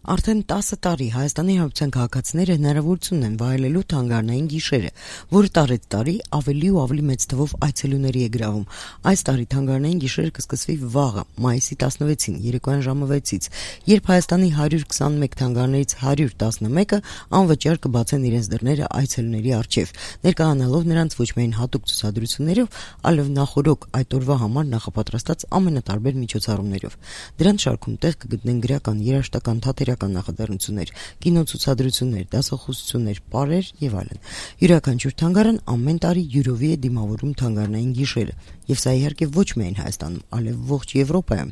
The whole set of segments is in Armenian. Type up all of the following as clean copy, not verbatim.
Արդեն 10 տարի Հայաստանի Հանրապետության քաղաքացիները հնարավորություն են վայելելու թանգարանային գիշերը, որը տարեց տարի ավելի ու ավելի մեծ թվով այցելուների է գրավում։ Այս տարի թանգարանային գիշերը կսկսվի վաղը, մայիսի 16-ին, երեկոյան ժամը 6-ից, երբ Հայաստանի 121 թանգարաններից 111-ը անվճար կբացեն իրենց դռները այցելուների առջև, ներկայանալով նրանց ոչ միայն հատուկ ցուցադրություններով, այլև նախօրոք այդ օրվա համար նախապատրաստած ամենատարբեր միջոցառումներով։ Դրանց շարքում տեղ կգտնեն գրական, երաժշտական, թատերական նախաձեռնություններ, կինոցուցադրություններ, դասախոսություններ, պարեր եւ այլն։ Յուրաքանչյուր թանգարան ամեն տարի յուրովի է դիմավորում թանգարանային գիշերը, եւ սա իհարկե ոչ միայն Հայաստանում, այլև ողջ Եվրոպայում։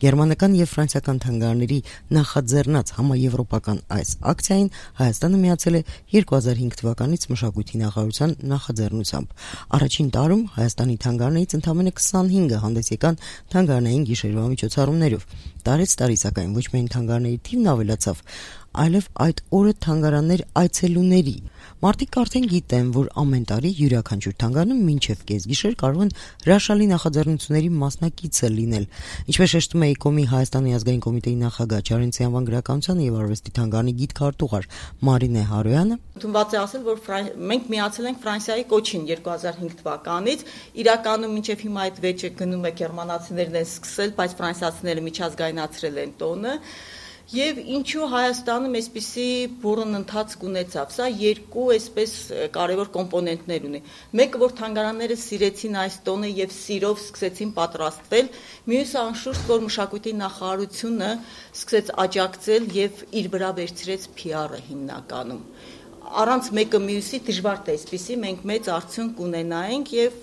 Գերմանական եւ ֆրանսիական թանգարանների նախաձեռնած համաեվրոպական այս ակցիային Հայաստանը միացել է 2005 թվականից մշակույթի նախարարության նախաձեռնությամբ։ Առաջին տարում Հայաստանի թանգարաններից ընդամենը 25-ը հանդես եկան թանգարանային գիշերվա միջոցառումներով։ Տարեց տարի սակայն ոչ միայն թանգարանների թիվն ավելացավ, այլև այդ օրը թանգարաններ այցելուների։ Մարդիկ արդեն գիտեն, որ ամեն տարի յուրաքանչյուր թանգարանում մինչև կեսգիշեր կարող են հրաշալի նախաձեռնությունների մասնակիցը լինել։ Ինչպես շեշտում է ԵԿՕՄ-ի Հայաստանի ազգային կոմիտեի նախագահ Չարենցի անվան գրականության եւ արվեստի թանգարանի գիտքարտուղար Մարինե Հարոյանը, ընդունված է ասել, որ մենք միացել ենք Ֆրանսիայի կոչին 2005 թվականից։ Իրականում մինչև հիմա այդ վեճը գնում է, գերմանացիներն են սկսել, բայց ֆրանսիացիները միջազգայնացրել են տոնը։ Եվ ինչու Հայաստանում այսպիսի բուրըն ընթացք ունեցավ։ Սա երկու այսպես կարևոր կոմպոնենտներ ունի։ Մեկը, որ թանգարանները սիրեցին այս տոնը եւ սիրով սկսեցին պատրաստվել, մյուսը անշուշտ, որ մշակույթի նախարարությունը սկսեց աջակցել եւ իր վրա վերցրեց PR-ը հիմնականում։ Առանց մեկը մյուսի դժվար է այսպիսի մենք մեծ արդյունք ունենայինք եւ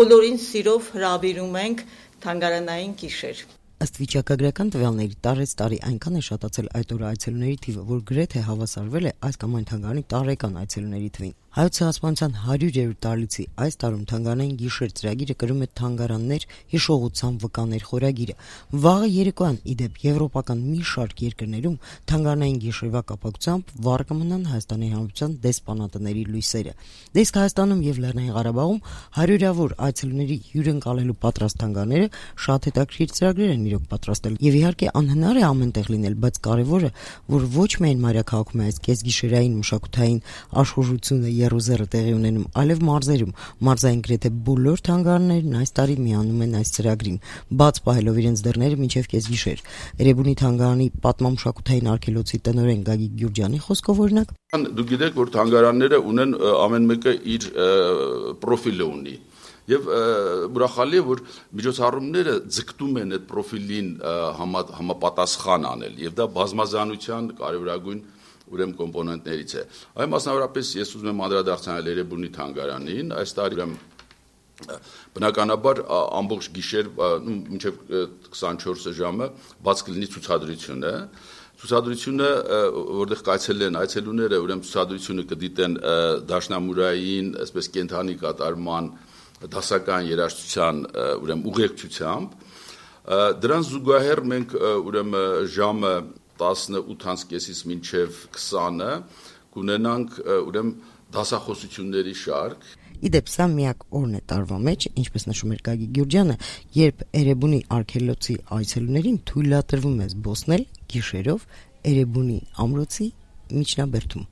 բոլորին սիրով հրավիրում ենք թանգարանային գիշեր։ Ըստ վիճակագրական տվյալների տարեց տարի այնքան է շատացել այդ օրը այցելուների թիվը, որ գրեթե հավասարվել է այս կամ այն թանգարանի տարեկան այցելուների թվին։ Հայոց ցեղասպանության 100-րդ տարելիցի այս տարում թանգարանային գիշեր ծրագիրը կրում է թանգարաններ հիշողության վկաներ խորագիրը։ Վաղը երեկոյան իդեպ եվրոպական մի շարք երկրներում թանգարանային գիշերվա կապակցությամբ վառ կմնան Հայաստանի Հանրապետության դեսպանատների լույսերը։ Դեսք Հայաստանում եւ Լեռնային Ղարաբաղում 100-ավոր այցելուների հյուրընկալելու պատրաստ թանգարանները շատ հետաքրքիր ծրագրեր են իրոք պատրաստել։ Եվ իհարկե անհնար է ամենտեղ լինել, բայց կարևորը, որ ոչ միայն մայրաքաղաքում է այս կեսգիշերային մշակութային աշխուժությունը Երուսաղեմը տեղի ունենում, այլև մարզերում։ Մարզային գրեթե բոլոր թանգարաններն այս տարի միանում են այս ծրագրին, բաց պահելով իրենց դռները մինչև կեսգիշեր։ Էրեբունի թանգարանի պատմամշակութային արգելոցի տնօրեն Գագիկ Գյուրջյանի խոսքով օրինակ, դուք գիտեք, որ թանգարանները ունեն ամեն մեկը իր պրոֆիլը ունի։ Եվ ուրախալի է, որ միջոցառումները ձգտում են այդ պրոֆիլին համապատասխան անել, եւ դա բազմազանության կարևորագույն ուրեմն կոմպոնենտներից է։ Այ մասնավորապես ես ուզում եմ անդրադարձնել Էրեբունի թանգարանին, այս տարի բնականաբար ամբողջ գիշեր մինչև 24 ժամը բաց կլինի ցուցադրությունը։ Ցուցադրությունը, որտեղ կայցելեն այցելուները, ուրեմն ցուցադրությունը կդիտեն դաշնամուրային, այսպես կենթանի կատարման, դասական երաժշտության ուրեմն ուղեկցությամբ։ Դրան զուգահեռ մենք ուրեմն ժամը 18:30-ից մինչև 20-ը կունենանք ուրեմն դասախոսությունների շարք։ Իդեպ սա միակ օրն է տարվա մեջ, ինչպես նշում էր Գագիկ Գյուրջյանը, երբ Էրեբունի արգելոցի այցելուներին թույլատրվում է զբոսնել գիշերով Էրեբունի ամրոցի միջնաբերդում։